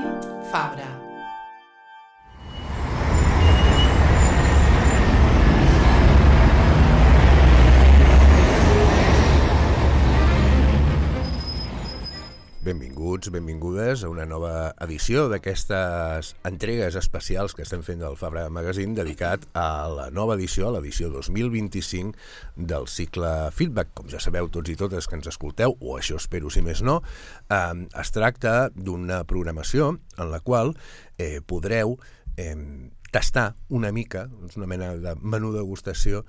Ràdio Fabra. Benvinguts, benvingudes a una nova edició d'aquestes entregues especials que estem fent del Fabra Magazine dedicat a la nova edició, a l'edició 2025 del cicle Feedback. Com ja sabeu tots i totes que ens escolteu, o això espero si més no, es tracta d'una programació en la qual podreu tastar una mica, una mena de menú degustació,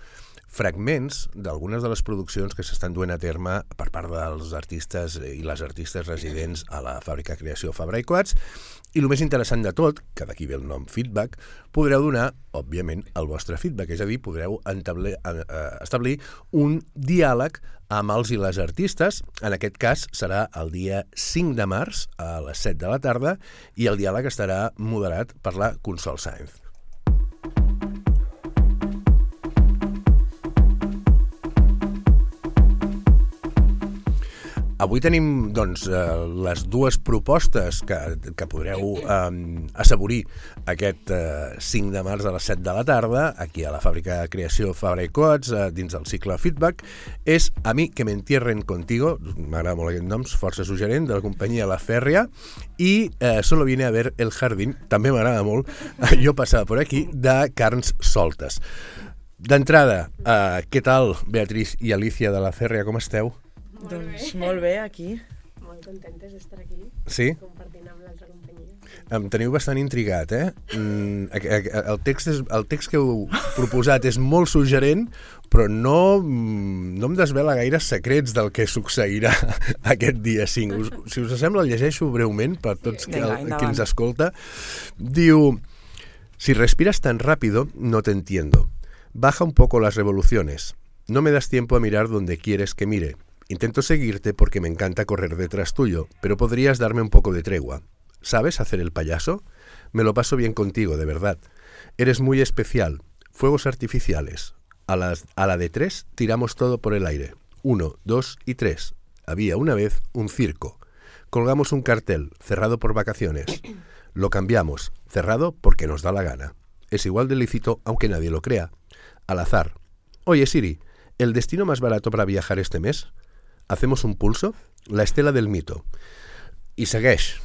fragments d'algunes de les produccions que s'estan duent a terme per part dels artistes i les artistes residents a la fàbrica Creació Fabra i Coats, i el més interessant de tot, que d'aquí ve el nom Feedback, podreu donar, òbviament, el vostre feedback, és a dir, podreu establir un diàleg amb els i les artistes. En aquest cas serà el dia 5 de març a les 7 de la tarda i el diàleg estarà moderat per la Consol Sáenz. Avui tenim doncs, les dues propostes que podreu assaborir aquest 5 de març a les 7 de la tarda, aquí a la fàbrica Creació Fabra i Coats, dins del cicle Feedback. És A mi que me entierren contigo, m'agrada molt aquest nom, força suggerent, de la companyia La Fèrria, i Solo viene a ver el jardín, també m'agrada molt, Jo passava por aquí, de Carns Soltes. D'entrada, què tal, Beatriz i Alicia de La Fèrria, com esteu? Doncs molt bé, aquí. Molt contentes d'estar aquí. Sí? Compartint amb l'altra companyia. Em teniu bastant intrigat, eh? El text que heu proposat és molt suggerent, però no em desvela gaire secrets del que succeirà aquest dia 5. Si us sembla, el llegeixo breument per tots qui ens escolta. Diu: si respiras tan rápido, no te entiendo. Baja un poco las revoluciones. No me das tiempo a mirar donde quieres que mire. Intento seguirte porque me encanta correr detrás tuyo, pero podrías darme un poco de tregua. ¿Sabes hacer el payaso? Me lo paso bien contigo, de verdad. Eres muy especial. Fuegos artificiales. A la de 3 tiramos todo por el aire. 1, 2 y 3. Había una vez un circo. Colgamos un cartel, cerrado por vacaciones. Lo cambiamos, cerrado porque nos da la gana. Es igual de lícito aunque nadie lo crea. Al azar. Oye, Siri, ¿el destino más barato para viajar este mes? Hacemos un pulso, la estela del mito. I segueix.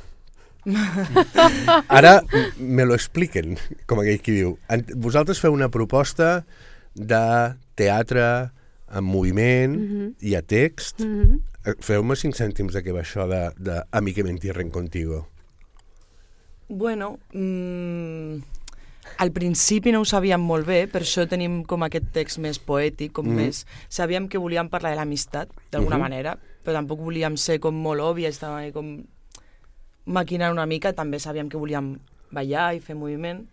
Ara me lo expliquen, com aquell qui diu. Vosaltres feu una proposta de teatre en moviment i a text. Feu-me 5 cèntims de què va això de A mi que me entierren contigo. Bueno, al principi no ho sabíem molt bé, per això tenim com aquest text més poètic, com més... Sabíem que volíem parlar de l'amistat, d'alguna manera, però tampoc volíem ser com molt òbvies, estàvem com maquinant una mica, també sabíem que volíem ballar i fer moviment.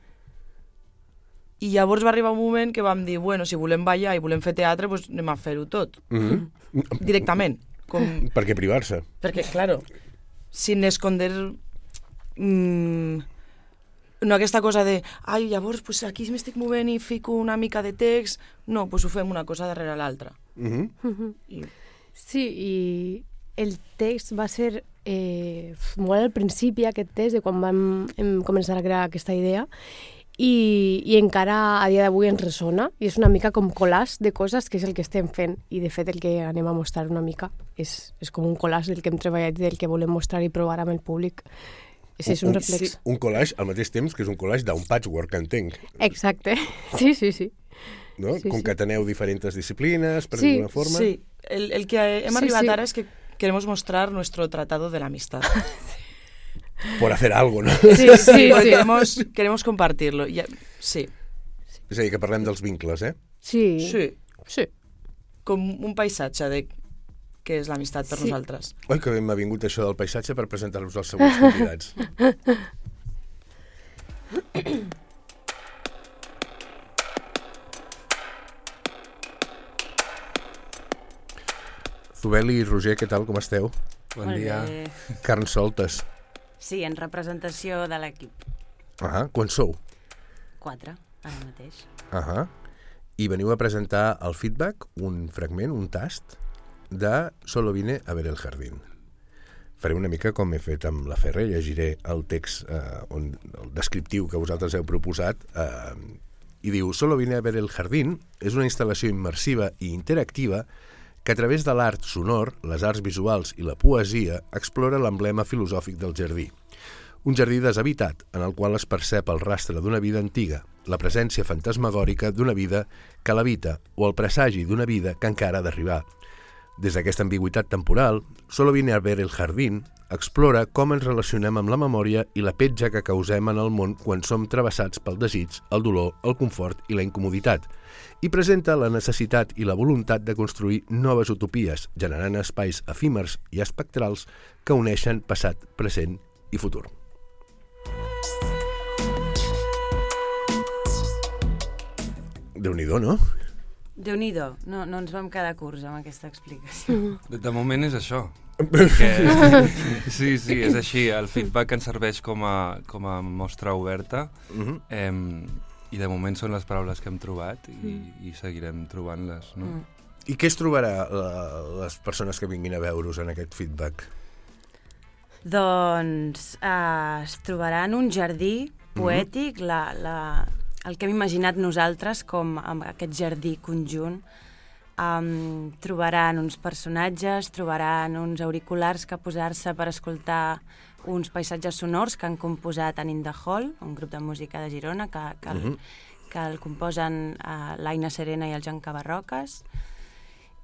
I llavors va arribar un moment que vam dir, bueno, si volem ballar i volem fer teatre, doncs anem a fer-ho tot. Directament. Per què privar-se? Perquè, claro, sin esconder... no aquesta cosa de, ai, llavors pues aquí m'estic movent i fico una mica de text. No, pues ho fem una cosa darrere l'altra. Sí, i el text va ser molt al principi, aquest text, de quan vam començar a crear aquesta idea, i encara a dia d'avui ens ressona, i és una mica com collage de coses, que és el que estem fent, i de fet el que anem a mostrar una mica és com un collage del que hem treballat i del que volem mostrar i provar amb el públic. Sí, és un reflex. Un collage al mateix temps que és un collage d'un patchwork, entenc. Exacte, sí. No? Sí, Concateneu diferents disciplines, per alguna forma. Sí, el que hem arribat ara es que queremos mostrar nuestro tratado de la amistad. Por hacer algo, no? Sí. Queremos compartirlo. Sí. És a dir, que parlem dels vincles, eh? Sí. Com un paisatge de què és l'amistat per nosaltres. Oi, que m'ha vingut això del paisatge per presentar-vos als següents convidats. Zubeli i Roger, què tal, com esteu? Bon dia. Carns Soltes. Sí, en representació de l'equip. Quan sou? 4, ara mateix. I veniu a presentar el feedback, un fragment, un tast, de Solo vine a ver el jardín. faré una mica com he fet amb la Ferre, llegiré el text el descriptiu que vosaltres heu proposat, i diu: Solo vine a ver el jardín és una instal·lació immersiva i interactiva que a través de l'art sonor, les arts visuals i la poesia explora l'emblema filosòfic del jardí. Un jardí deshabitat en el qual es percep el rastre d'una vida antiga, la presència fantasmagòrica d'una vida que l'habita o el presagi d'una vida que encara ha d'arribar. Des d'aquesta ambigüitat temporal, Solo vine a ver el jardín explora com ens relacionem amb la memòria i la petja que causem en el món quan som travessats pel desig, el dolor, el confort i la incomoditat, i presenta la necessitat i la voluntat de construir noves utopies, generant espais efímers i espectrals que uneixen passat, present i futur. Déu-n'hi-do, no? Déu-n'hi-do, no ens vam quedar curts amb aquesta explicació. De moment és això. Perquè, sí, és així. El feedback ens serveix com a mostra oberta, i de moment són les paraules que hem trobat i seguirem trobant-les, no? I què es trobarà les persones que vinguin a veure-us en aquest feedback? Doncs es trobaran un jardí poètic, el que hem imaginat nosaltres com aquest jardí conjunt. Trobaran uns personatges, trobaran uns auriculars que posar-se per escoltar uns paisatges sonors que han composat en In the Hall, un grup de música de Girona que el composen l'Aina Serena i el Joan Cabarroques.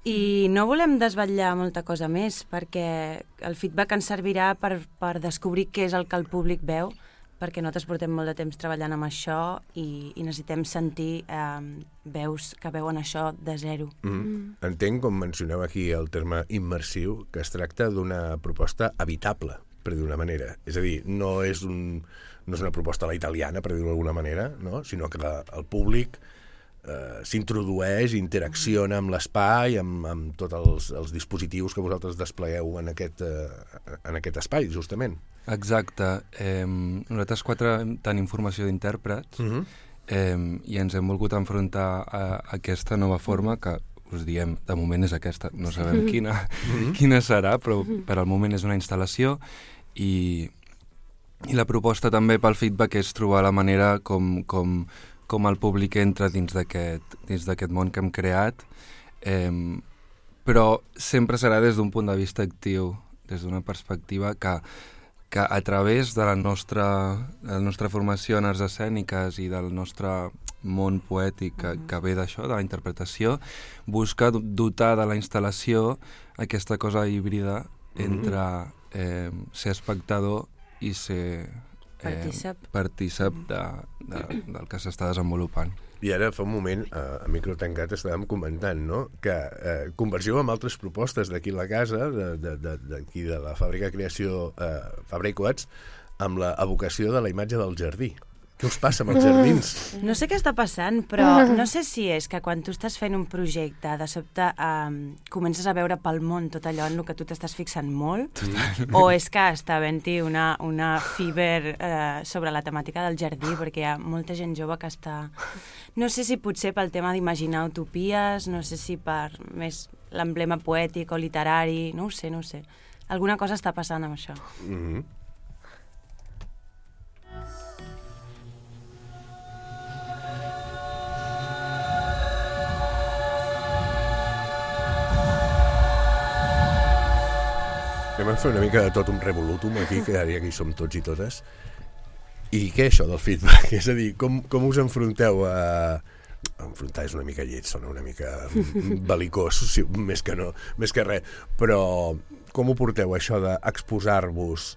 I no volem desvetllar molta cosa més, perquè el feedback ens servirà per descobrir què és el que el públic veu, perquè nosaltres portem molt de temps treballant amb això i necessitem sentir veus que veuen això de zero. Entenc, com mencioneu aquí el terme immersiu, que es tracta d'una proposta habitable, per dir-ho d'una manera. És a dir, no és una proposta a la italiana, per dir-ho d'alguna manera, no? Sinó que el públic s'introdueix, interacciona amb l'espai, amb tots els dispositius que vosaltres desplegueu en aquest espai, justament. Exacte. Nosaltres 4 tenim formació d'intèrprets i ens hem volgut enfrontar a aquesta nova forma que us diem, de moment és aquesta, no sabem quina serà, però per al moment és una instal·lació i la proposta també pel feedback és trobar la manera com el públic entra dins d'aquest món que hem creat, però sempre serà des d'un punt de vista actiu, des d'una perspectiva que a través de la nostra formació en arts escèniques i del nostre món poètic que ve d'això, de la interpretació, busca dotar de la instal·lació aquesta cosa híbrida entre ser espectador i ser partícip del que s'està desenvolupant. I ara, fa un moment, a micro tancat, estàvem comentant, no?, que convergiu amb altres propostes d'aquí a la casa, d'aquí de la fàbrica de creació Fabra i Coats, amb l'evocació de la imatge del jardí. Què us passa amb els jardins? No sé què està passant, però no sé si és que quan tu estàs fent un projecte, de sobte comences a veure pel món tot allò en el que tu t'estàs fixant molt, o és que està havent-hi una fiber sobre la temàtica del jardí, perquè hi ha molta gent jove que està... No sé si potser pel tema d'imaginar utopies, no sé si per més l'emblema poètic o literari, no ho sé. Alguna cosa està passant amb això. Anem a fer una mica de tot un revolutum aquí, que ara hi som tots i totes. I què això del feedback? És a dir, com us enfronteu a... Enfrontar és una mica lleig, sona una mica belicós, més que res. Però com ho porteu, això d'exposar-vos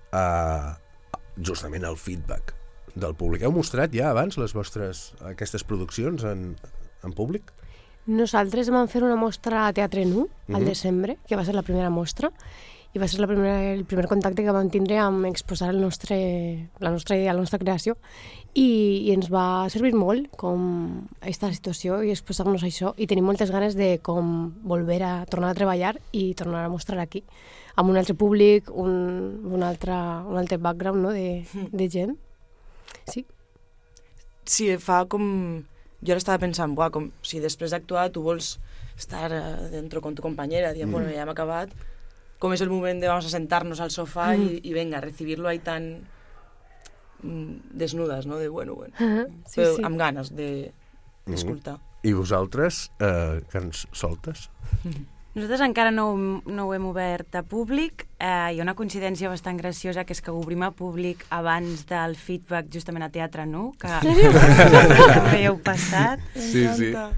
justament al feedback del públic? Heu mostrat ja abans aquestes produccions en públic? Nosaltres vam fer una mostra a Teatre Nu, al desembre, que va ser la primera mostra, i va ser el primer contacte que vam tindre amb exposar la nostra idea, la nostra creació, i ens va servir molt com aquesta situació i exposar-nos això, i tenim moltes ganes de com tornar a treballar i tornar a mostrar aquí, amb un altre públic, un altre background, no?, de gent. Sí. Sí, fa com... Jo ara estava pensant, com si després d'actuar tu vols estar dentro con tu companyera, dient, bueno, ja hem acabat, com és el moment de vamos a sentarnos al sofà y venga, recibirlo ahí tan desnudes, no? De bueno. Sí, Però sí. amb ganes d'escoltar. I vosaltres, Carns Soltes? Nosaltres encara no ho hem obert a públic. Hi ha una coincidència bastant graciosa, que és que ho obrim a públic abans del feedback justament a Teatre Nu, que també heu passat. Sí.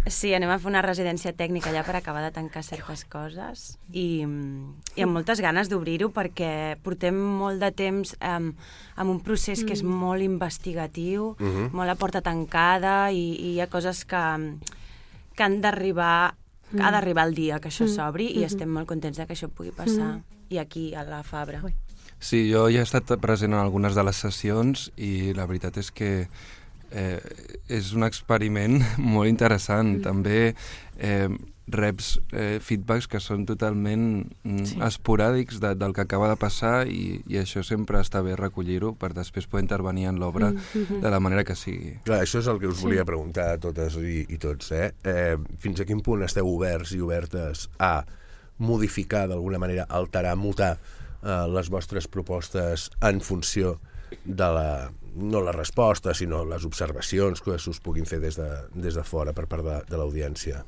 Sí, anem a fer una residència tècnica allà per acabar de tancar certes coses i amb moltes ganes d'obrir-ho, perquè portem molt de temps amb un procés que és molt investigatiu, molt a porta tancada, i hi ha coses que han d'arribar, ha d'arribar el dia que això s'obri, i estem molt contents de que això pugui passar i aquí a la Fabra. Sí, jo ja he estat present en algunes de les sessions i la veritat és que és un experiment molt interessant. També reps feedbacks que són totalment esporàdics del que acaba de passar, i això sempre està bé recollir-ho per després poder intervenir en l'obra de la manera que sigui. Clar, això és el que us volia preguntar a totes i tots. Fins a quin punt esteu oberts i obertes a modificar d'alguna manera, alterar, mutar les vostres propostes en funció de no la resposta, sinó les observacions que us puguin fer des de fora per part de l'audiència?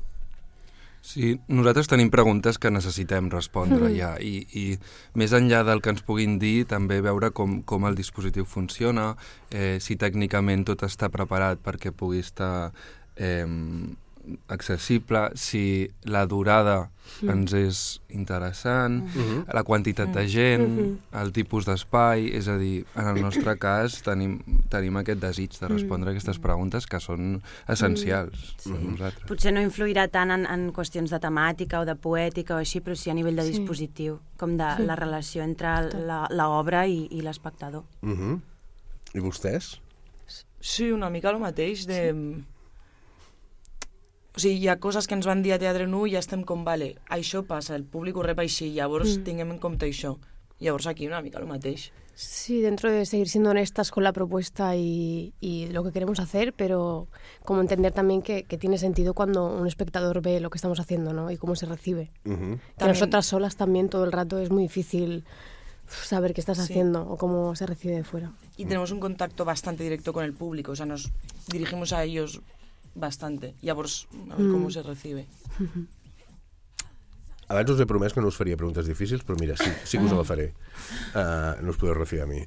Sí, nosaltres tenim preguntes que necessitem respondre ja, i més enllà del que ens puguin dir, també veure com el dispositiu funciona, si tècnicament tot està preparat perquè pugui estar accessible, si la durada ens és interessant, la quantitat de gent, el tipus d'espai, és a dir, en el nostre cas tenim aquest desig de respondre aquestes preguntes que són essencials per nosaltres. Potser no influirà tant en qüestions de temàtica o de poètica o així, però sí a nivell de dispositiu, com de la relació entre l'obra i l'espectador. I vostès? Sí, una mica el mateix de... O sigui, hi ha coses que ens van dir a Teatre Nu i ja estem com, vale, això passa, el públic ho rep així, llavors tinguem en compte això. Llavors aquí una mica el mateix. Sí, dentro de seguir siendo honestas con la propuesta y lo que queremos hacer, pero como entender también que tiene sentido cuando un espectador ve lo que estamos haciendo, ¿no? Y cómo se recibe. Que nosotras solas también todo el rato es muy difícil saber qué estás haciendo o cómo se recibe de fuera. Y tenemos un contacto bastante directo con el público, o sea, nos dirigimos a ellos bastante, llavors a veure com se recibe. Abans us he promès que no us faria preguntes difícils, però mira, sí que us la faré. No us podeu refiar a mi.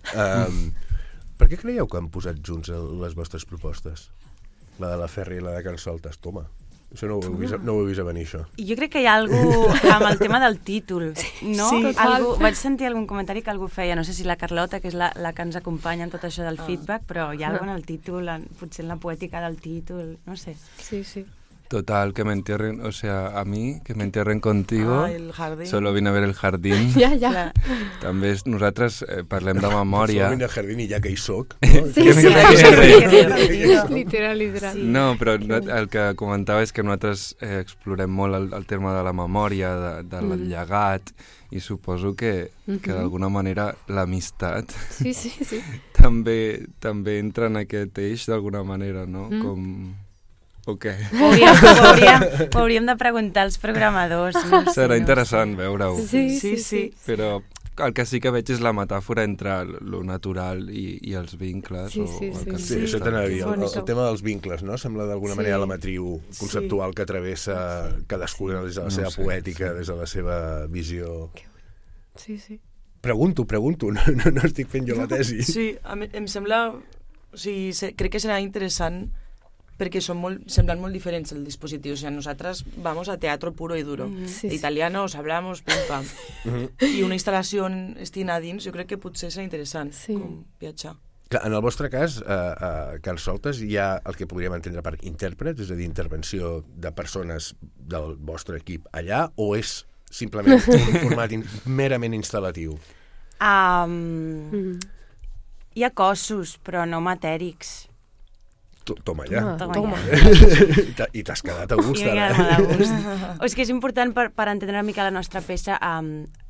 Per què creieu que han posat junts les vostres propostes? La de la Ferri i la de Carns Soltes, toma. Això no ho he vist a venir, això. Jo crec que hi ha alguna cosa amb el tema del títol, no? Sí, vaig sentir algun comentari que algú feia, no sé si la Carlota, que és la que ens acompanya en tot això del feedback, però hi ha alguna cosa en el títol, potser en la poètica del títol, no sé. Sí, sí. Total, que me entierren, o sea, a mí, que me entierren contigo, el jardín. Solo vine a ver el jardín. Ja. També nosaltres parlem de memòria. Solo vine al jardín i ja que hi soc. Literal. No, però el que comentava és que nosaltres explorem molt el tema de la memòria, del llegat, i suposo que d'alguna manera l'amistat també entra en aquest eix d'alguna manera, no? Com... O què? Ho hauríem de preguntar als programadors. No? Serà interessant veure-ho. Sí. Però el que sí que veig és la metàfora entre lo natural i els vincles. Sí. Això t'anava a dir, el tema dels vincles, no? Sembla d'alguna manera la matriu conceptual que travessa cadascuna des de la seva poètica, des de la seva visió. Sí. Pregunto, no estic fent jo la tesi. Sí, em sembla... O sigui, crec que serà interessant perquè semblan molt diferents el dispositiu. O sea, nosaltres vamos a teatro puro y duro. De italianos, hablamos, pim, pam. I una instal·lació estina dins, jo crec que potser serà interessant com viatjar. En el vostre cas, a Carns Soltes, hi ha el que podríem entendre per intèrprets, és a dir, intervenció de persones del vostre equip allà, o és simplement un format merament instal·latiu? Hi ha cossos, però no matèrics. Toma ja. Toma. I t'has quedat a gust, ara. I m'he quedat molt a gust. És que és important per entendre una mica la nostra peça.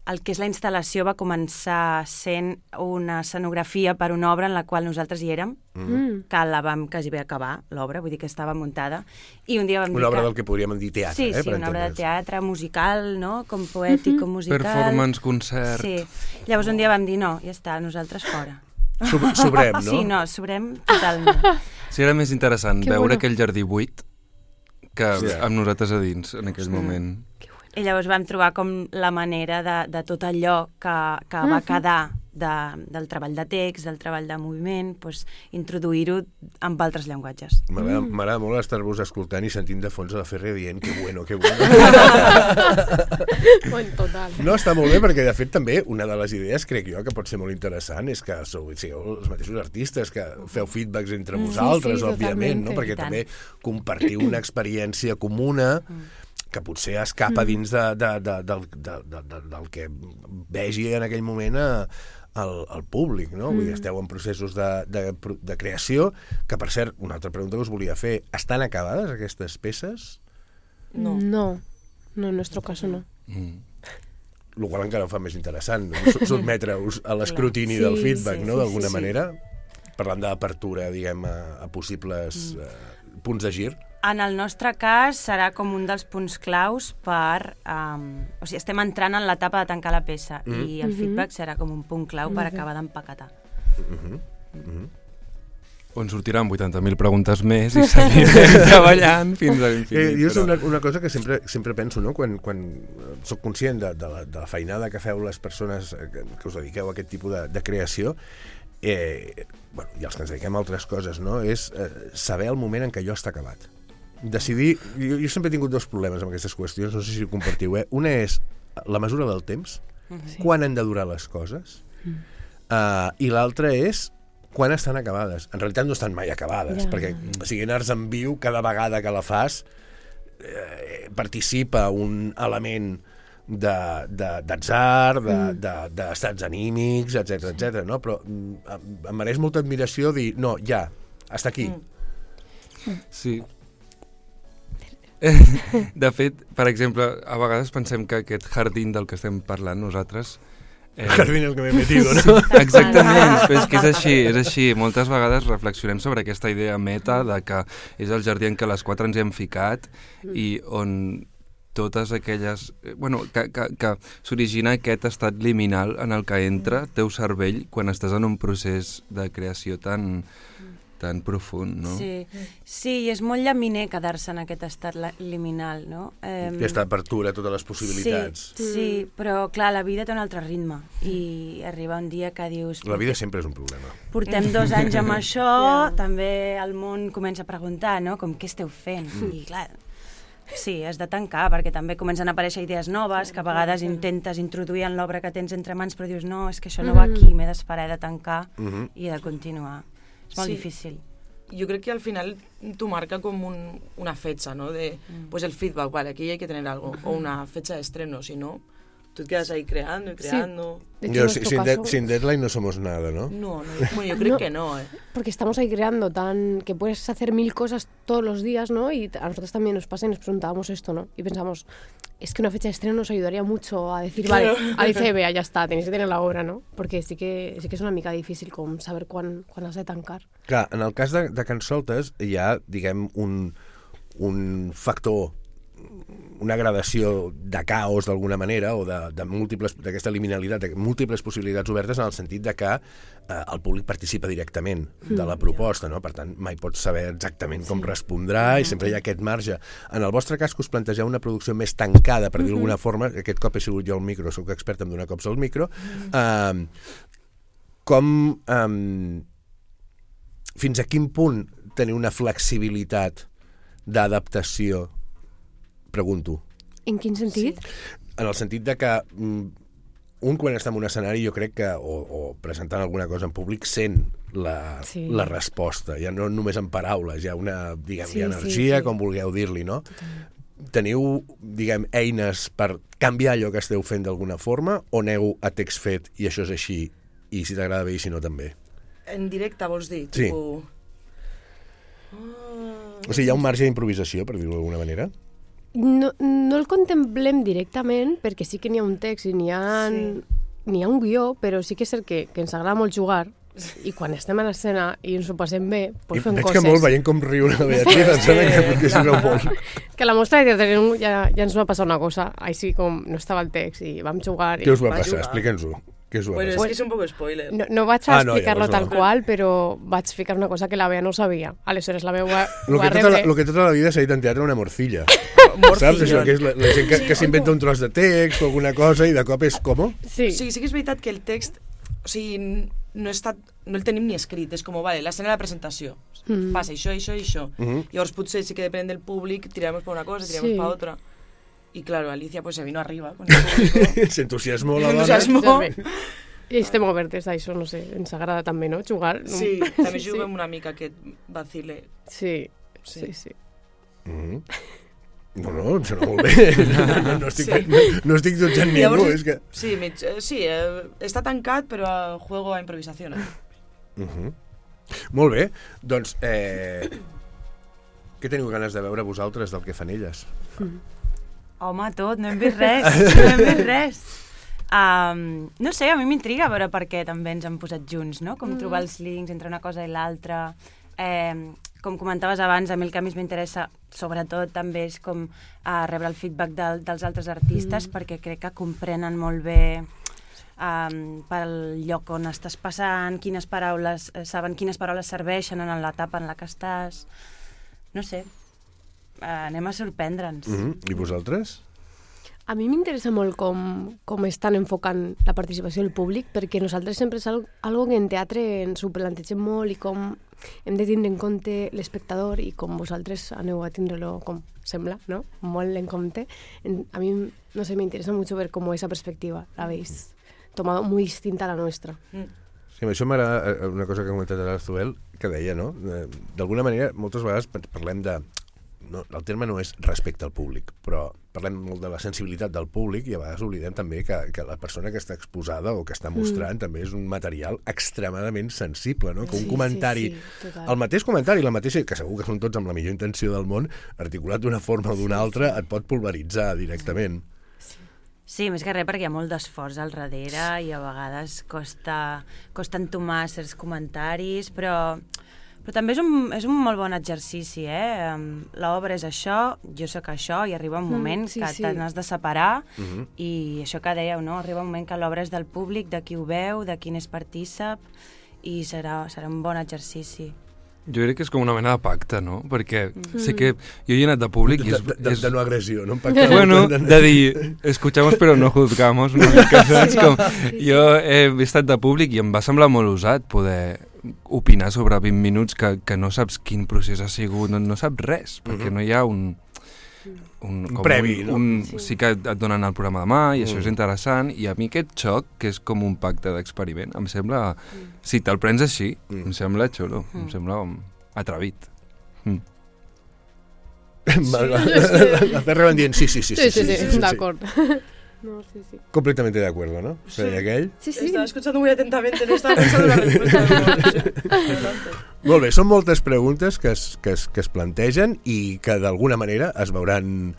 el que és la instal·lació va començar sent una escenografia per una obra en la qual nosaltres hi érem, que la vam quasi bé acabar, l'obra, vull dir que estava muntada, i un dia vam dir Una obra que... del que podríem dir teatre, Sí, per una obra de entendre'ns. teatre, musical, no? Com poètic, com musical. Performance, concert... Sí. Llavors un dia vam dir, no, ja està, nosaltres fora. Sobrem, no? Sí, no, sobrem totalment. Sí, era més interessant Que veure bueno. aquell jardí buit que Sí. amb nosaltres a dins en aquell moment. I llavors vam trobar com la manera de tot allò que va quedar del treball de text, del treball de moviment, doncs, introduir-ho amb altres llenguatges. M'agrada molt estar-vos escoltant i sentint de fons a la Ferrer dient que bueno, que bueno. Bueno, total. No, està molt bé, perquè de fet també una de les idees, crec jo, que pot ser molt interessant és que sigueu els mateixos artistes, que feu feedbacks entre vosaltres, sí, òbviament, no? totalmente. Perquè I tant. també compartiu una experiència comuna que potser escapa dins del que vegi en aquell moment al públic, no? Vull dir, esteu en processos de creació, que per cert, una altra pregunta que us volia fer, estan acabades aquestes peces? No. No, en nuestro caso no. El qual encara ho fa més interessant, sotmetre-us a l'escrutini Sí, del feedback, sí, no? sí, D'alguna sí. manera, parlant d'apertura, diguem, a possibles punts de gir. En el nostre cas serà com un dels punts claus per... o sigui, estem entrant en l'etapa de tancar la peça i el feedback serà com un punt clau per acabar d'empaquetar. On sortiran 80.000 preguntes més i seguirem treballant fins a l'infinit. Jo és una cosa que sempre penso, no? Quan soc conscient de la feinada que feu les persones que us dediqueu a aquest tipus de creació, bueno, i els que ens dediquem a altres coses, no? És saber el moment en què allò està acabat. Decidir... Jo sempre he tingut dos problemes amb aquestes qüestions, no sé si ho compartiu, Una és la mesura del temps, quan han de durar les coses, i l'altra és quan estan acabades. En realitat no estan mai acabades, perquè si en arts en viu, cada vegada que la fas, participa un element d'atzar, d'estats anímics, etc, no? Però em mereix molta admiració dir, no, ja, hasta aquí. Sí. De fet, per exemple, a vegades pensem que aquest jardín del que estem parlant nosaltres... Jardín el que m'he metido, no? Exactament, però és que és així. Moltes vegades reflexionem sobre aquesta idea meta de que és el jardí en què les quatre ens hem ficat i on totes aquelles... Bueno, que s'origina aquest estat liminal en el que entra el teu cervell quan estàs en un procés de creació tan profund, no? Sí, i és molt llaminer quedar-se en aquest estat liminal, no? Aquesta apertura, totes les possibilitats. Sí, però clar, la vida té un altre ritme i arriba un dia que dius... La vida sempre és un problema. Portem 2 anys amb això, també el món comença a preguntar, no? Com, què esteu fent? I clar, sí, has de tancar, perquè també comencen a aparèixer idees noves, que a vegades intentes introduir en l'obra que tens entre mans, però dius, no, és que això no va aquí, m'he d'esperar, he de tancar i he de continuar. És molt difícil. Yo creo que al final tú marca como una fecha, ¿no? De, pues el feedback, vale, aquí hay que tener algo, o una fecha de estreno, si no, tú te quedas ahí creando y creando. Sí. De hecho, Sin deadline no somos nada, ¿no? No, bueno, yo creo que no, Porque estamos ahí creando que puedes hacer 1000 cosas todos los días, ¿no? Y a nosotros también nos pasa y nos preguntábamos esto, ¿no? Y pensamos, es que una fecha de estreno nos ayudaría mucho a decir, vale, a dice, vea, ya está, tenéis que tener la obra, ¿no? Porque sí que és una mica difícil com saber quan has de tancar. Clar, en el cas de Cansoltes hi ha, diguem, un factor, una gradació de caos d'alguna manera o de múltiples, d'aquesta liminalitat, de múltiples possibilitats obertes en el sentit de que el públic participa directament de la proposta, no? Per tant, mai pots saber exactament com respondrà i sempre hi ha aquest marge. En el vostre cas, que us plantegeu una producció més tancada, per dir d'alguna forma, aquest cop he sigut jo al micro, soc expert en donar cops al micro, fins a quin punt teniu una flexibilitat d'adaptació? Pregunto. En quin sentit? En el sentit de que quan està en un escenari jo crec que, o presentant alguna cosa en públic, sent la resposta, ja no només en paraules, hi ha una, diguem, hi ha energia, com vulgueu dir-li, no? Teniu, diguem, eines per canviar allò que esteu fent d'alguna forma o aneu a text fet i això és així i si t'agrada bé i si no també? En directe, vols dir? Sí. Tipo... O sigui, hi ha un marge d'improvisació, per dir-ho d'alguna manera? No el contemplem directament, perquè sí que n'hi ha un text i n'hi ha un guió, però sí que és cert que ens agrada molt jugar, i quan estem a l'escena i ens ho passem bé, doncs fem coses. Veig que molt veient com riu la Beatriz, em sembla que potser s'ho veu molt. Que la mostra de teatre ja ens va passar una cosa, així com no estava el text i vam jugar. Què us va passar? Explica'ns-ho. Bueno, és que és un poc spoiler. No vaig a explicar-lo tal qual, però vaig ficar una cosa que la Bea no sabia. Aleshores la Bea ho va rebre. Lo que tota la vida s'ha dit en teatre una morcilla. Saps? Això que és la gent que s'inventa un tros de text o alguna cosa i de cop és com? Sí que és veritat que el text, o sigui, no el tenim ni escrit, és com, vale, l'escena de la presentació, passa això, això i això. Llavors potser sí que depèn del públic, tiramos per una cosa, tiramos per otra. Y claro, Alicia pues se vino arriba con el público. Se entusiasmó la dona. I estem obertes a això, no sé, ens agrada també, no?, jugar. Sí, també juguem una mica aquest vacile. Sí. No, em sembla molt bé. No estic jutjant ningú, és que... Sí, està tancat, però juego a improvisació. Molt bé, doncs, què teniu ganes de veure vosaltres del que fan elles? Home, tot, no hem vist res, no sé, a mi m'intriga veure per què també ens han posat junts, no? Com trobar els links entre una cosa i l'altra. Com comentaves abans, a mi el que més m'interessa, sobretot, també és com rebre el feedback dels altres artistes, perquè crec que comprenen molt bé pel lloc on estàs passant, saben quines paraules serveixen en l'etapa en la que estàs. No sé, anem a sorprendre'ns. I vosaltres? A mi m'interessa molt com estan enfocant la participació del públic, perquè nosaltres sempre és algo que en teatre ens ho plantegem molt i com hem de tindre en compte l'espectador i com vosaltres aneu a tindre-lo, com sembla, no? Molt en compte. A mi, no sé, m'interessa mucho ver cómo esa perspectiva la habéis tomado muy distinta a la nuestra. Sí, això m'agrada una cosa que ha comentat l'Arzuel, que deia, no? D'alguna manera, moltes vegades parlem de... No, el terme no és respecte al públic, però parlem molt de la sensibilitat del públic i a vegades oblidem també que la persona que està exposada o que està mostrant també és un material extremadament sensible, no? Que un comentari, el mateix comentari, la mateixa, que segur que són tots amb la millor intenció del món, articulat d'una forma o d'una altra, et pot pulveritzar directament. Sí, més que res perquè hi ha molt d'esforç al darrere i a vegades costa entomar certs comentaris, però també és un molt bon exercici, L'obra és això, jo sóc això, i arriba un moment que te n'has de separar, i això que dèieu, no? Arriba un moment que l'obra és del públic, de qui ho veu, de qui n'és partícip, i serà un bon exercici. Jo crec que és com una mena de pacte, no? Perquè sé que jo he anat de públic i de no agressió, no? Bueno, de dir, escuchamos però no juzgamos, una mica, saps? Com, jo he estat de públic i em va semblar molt usat poder opinar sobre 20 minuts que no saps quin procés ha sigut, no saps res, perquè no hi ha un previ, no? Sí que et donen el programa demà i això és interessant, i a mi aquest xoc, que és com un pacte d'experiment, em sembla, si te'l prens així, em sembla xulo, em sembla atrevit. La Ferra van dient sí, d'acord. No, sí. Completamente de acuerdo, ¿no? Sí. Aquell? Sí. Estaba escuchando muy atentamente, no estaba pensando en la respuesta. Molt bé, són moltes preguntes que es plantegen i que d'alguna manera es veuran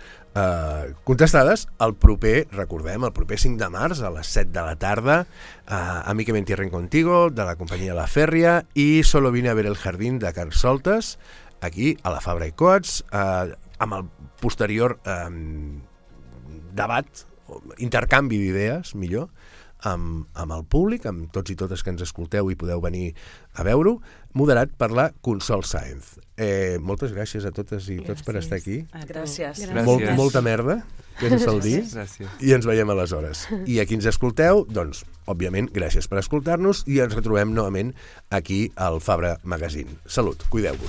contestades el proper, recordem, el proper 5 de març a les 7 de la tarda, a Mi que me entierren contigo, de la companyia La Fèrria, i Solo vine a ver el jardín de Carl Soltes, aquí a la Fabra i Coats, amb el posterior debat, intercanvi d'idees, millor, amb el públic, amb tots i totes que ens escolteu i podeu venir a veure-ho, moderat per la Consol Sáenz. Moltes gràcies a totes i tots per estar aquí. Gràcies. Molta merda, que és el dir, i ens veiem aleshores. I a qui ens escolteu, doncs, òbviament, gràcies per escoltar-nos i ens retrobem novament aquí al Fabra Magazine. Salut, cuideu-vos.